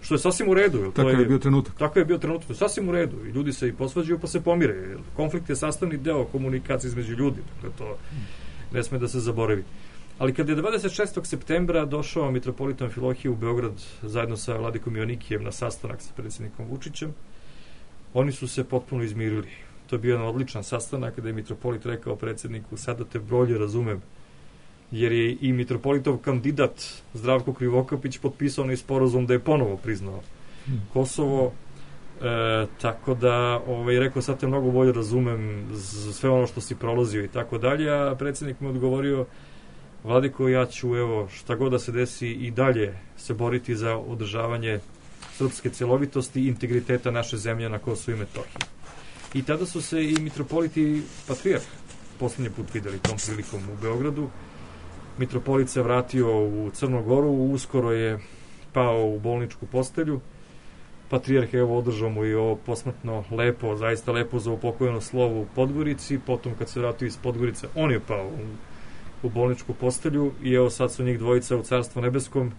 što je sasvim u redu. Tako to je, je bio trenutak. Tako je bio trenutak, to je sasvim u redu. I ljudi se i posvađaju pa se pomire. Konflikt je sastavni deo komunikacije između ljudi, dakle to ne sme da se zaboravi. Ali kada je dvadeset šestog septembra došao mitropolit Amfilohije u Beograd zajedno sa vladikom Joanikijem na sastanak sa predsjednikom Vučićem, oni su se potpuno izmirili. To je bio jedan odličan sastanak kada je mitropolit rekao predsjedniku: sada te bolje razumem, jer je i mitropolitov kandidat Zdravko Krivokapić potpisao onaj sporazum da je ponovo priznao hmm. Kosovo, e, tako da ovaj, rekao: sad te mnogo bolje razumem za sve ono što si prolazio i tako dalje, a predsjednik mu odgovorio: Vladiko, ja ću, evo, šta god da se desi, i dalje se boriti za održavanje srpske celovitosti i integriteta naše zemlje na Kosovu i Metohiji. I tada su se i mitropoliti i patrijarh poslednji put videli tom prilikom u Beogradu. Mitropolit se vratio u Crnu Goru, uskoro je pao u bolničku postelju. Patrijarh je evo održao mu i ovo posmrtno lepo, zaista lepo za upokojeno slovo u Podgorici. Potom kad se vratio iz Podgorice, on je pao u u bolničku postelju i evo sad su njih dvojica u Carstvu nebeskom.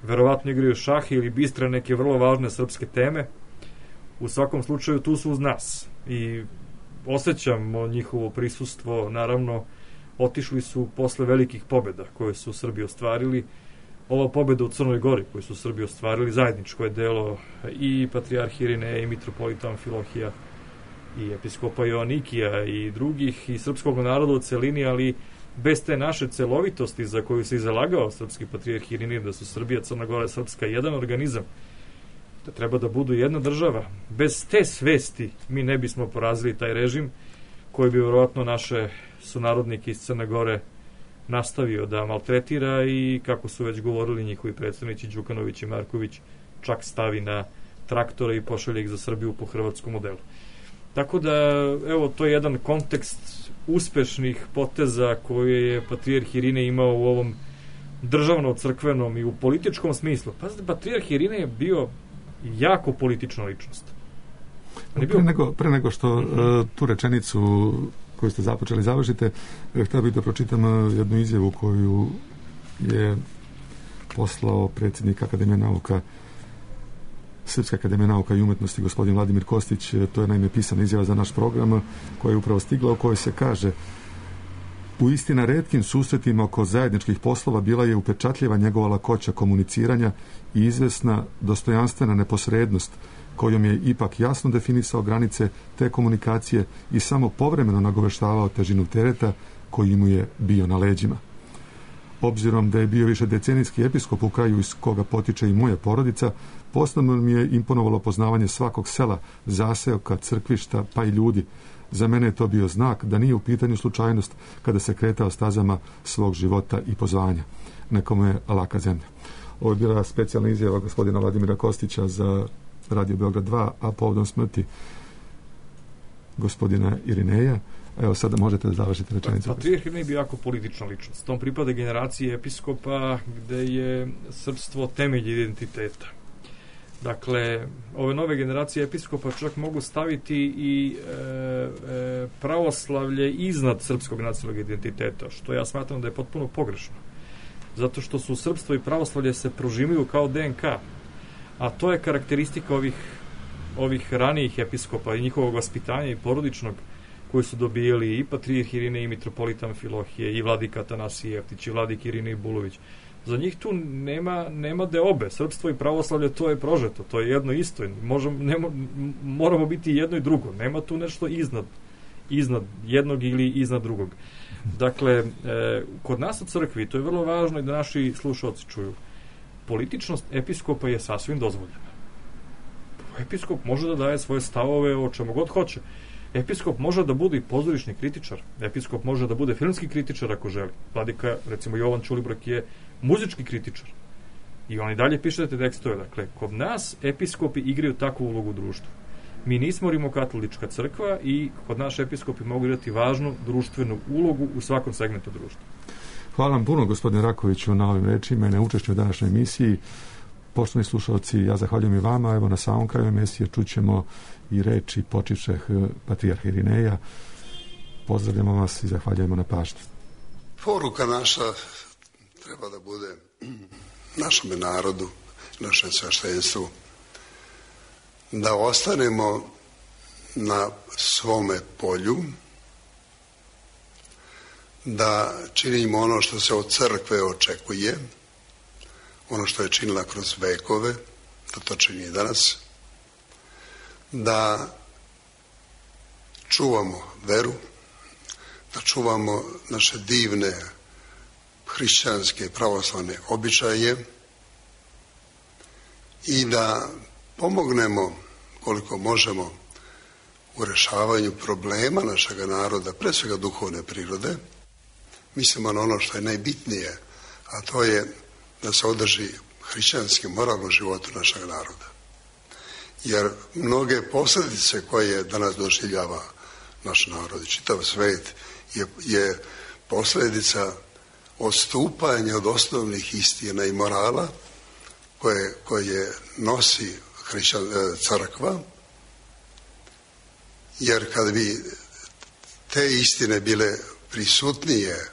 Verovatno igraju šah ili bistre neke vrlo važne srpske teme. U svakom slučaju tu su uz nas i osjećamo njihovo prisustvo. Naravno, otišli su posle velikih pobjeda koje su Srbi ostvarili. Ova pobjeda u Crnoj Gori koju su Srbi ostvarili, zajedničko je delo i patrijarh Irineja i mitropolita Amfilohija i episkopa Joanikija i drugih i srpskog naroda u celini, ali bez te naše celovitosti za koju se izalagao srpski patrijarh Irinej, da su Srbija, Crna Gora, Srpska jedan organizam, da treba da budu jedna država. Bez te svesti mi ne bismo porazili taj režim koji bi vjerojatno naše sunarodnike iz Crne Gore nastavio da maltretira i, kako su već govorili njihovi predstavnici Đukanović i Marković, čak stavi na traktore i pošalje ih za Srbiju po hrvatskom modelu. Tako da, evo, to je jedan kontekst uspešnih poteza koje je patrijarh Irinej imao u ovom državno-crkvenom i u političkom smislu. Pazite, patrijarh Irinej je bio jako politična ličnost. Bio... Pre, nego, pre nego što uh, tu rečenicu koju ste započeli završite, htio bih da pročitam jednu izjavu koju je poslao predsjednik Akademije nauka, Srpske akademije nauka i umetnosti, gospodin Vladimir Kostić. To je naime pisana izjava za naš program koja je upravo stigla, u kojoj se kaže: u istina retkim susretima oko zajedničkih poslova bila je upečatljiva njegova lakoća komuniciranja i izvesna dostojanstvena neposrednost kojom je ipak jasno definisao granice te komunikacije i samo povremeno nagoveštavao težinu tereta koji mu je bio na leđima. Obzirom da je bio više decenijski episkop u kraju iz koga potiče i moja porodica, posebno mi je imponovalo poznavanje svakog sela, zaseoka, crkvišta, pa i ljudi. Za mene je to bio znak da nije u pitanju slučajnost kada se kretao stazama svog života i pozvanja. Nekome je laka zemlja. Ovo je bila specijalna izjava gospodina Vladimira Kostića za Radio Beograd dva, a povodom smrti gospodina Irineja. Evo, sada možete da završite rečenicu. Patrijarh Irinej bio jako politična ličnost. Tom pripada generaciji episkopa gde je srpstvo temelj identiteta. Dakle, ove nove generacije episkopa čak mogu staviti i e, e, pravoslavlje iznad srpskog nacionalnog identiteta, što ja smatram da je potpuno pogrešno. Zato što su srpstvo i pravoslavlje se prožimaju kao D N K, a to je karakteristika ovih, ovih ranijih episkopa i njihovog vaspitanja i porodičnog, koji su dobijali i patrijarh Irinej i mitropolita Amfilohije i vladika Atanasije Jeftić i vladik Irinej Bulović. Za njih tu nema, nema deobe. Srpstvo i pravoslavlje, to je prožeto, to je jedno isto. Možemo, nema, moramo biti jedno i drugo. Nema tu nešto iznad, iznad jednog ili iznad drugog. Dakle, e, kod nas u crkvi, to je vrlo važno i da naši slušalci čuju, političnost episkopa je sasvim dozvoljena. Episkop može da daje svoje stavove o čemu god hoće. Episkop može da bude i pozorišni kritičar. Episkop može da bude filmski kritičar ako želi. Vladika, recimo Jovan Ćulibrk, je muzički kritičar. I on i dalje piše te tekstove. Dakle, kod nas episkopi igraju takvu ulogu u društvu. Mi nismo rimokatolička crkva i kod naš episkopi mogu igrati važnu društvenu ulogu u svakom segmentu društva. Hvala vam puno, gospodine Rakoviću, na ovim rečima i na učešću u današnjoj emisiji. Poštovani slušalci, ja zahvaljujem i vama. Evo, na samom kraju emisije čućemo i reči počivšeh patrijarha Irineja. Pozdravljamo vas i zahvaljujemo na pažnji. Poruka naša treba da bude našem narodu, našem sveštenstvu, da ostanemo na svome polju, da činimo ono što se od crkve očekuje, ono što je činila kroz vekove, da to čini i danas, da čuvamo veru, da čuvamo naše divne hrišćanske pravoslavne običaje i da pomognemo koliko možemo u rešavanju problema našeg naroda, pre svega duhovne prirode. Mislimo na ono što je najbitnije, a to je da se održi hrišćanski moralno životu našeg naroda. Jer mnoge posljedice koje danas doživljava naš narod i čitav svet je, je posljedica odstupanja od osnovnih istina i morala koje, koje nosi hrišćan, crkva. Jer kad bi te istine bile prisutnije,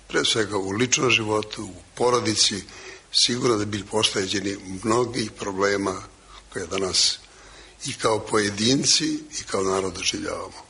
pre svega u ličnom životu, u porodici, sigurno da bi bili pošteđeni mnogih problema koje danas i kao pojedinci i kao narod doživljavamo.